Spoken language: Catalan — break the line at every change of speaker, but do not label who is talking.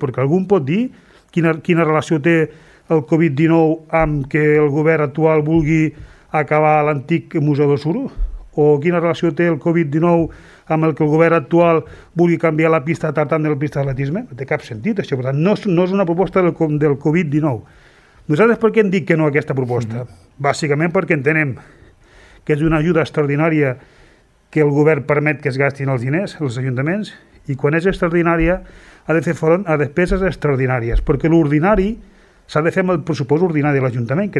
Perquè algú pot dir quina relació té el Covid-19 amb que el govern actual vulgui acabar l'antic Museu del Suro? O quina relació té el Covid-19 amb el que el govern actual vulgui canviar la pista de tartan de la pista d'atletisme? No té cap sentit, això. Per tant, no és una proposta del Covid-19. Nosaltres per què hem dit que no a aquesta proposta? Bàsicament perquè entenem que és una ajuda extraordinària que el govern permet que es gastin els diners, els ajuntaments, i quan és extraordinària ha de fer front a despeses extraordinàries, perquè l'ordinari s'ha de fer amb el pressupost ordinari de l'Ajuntament, que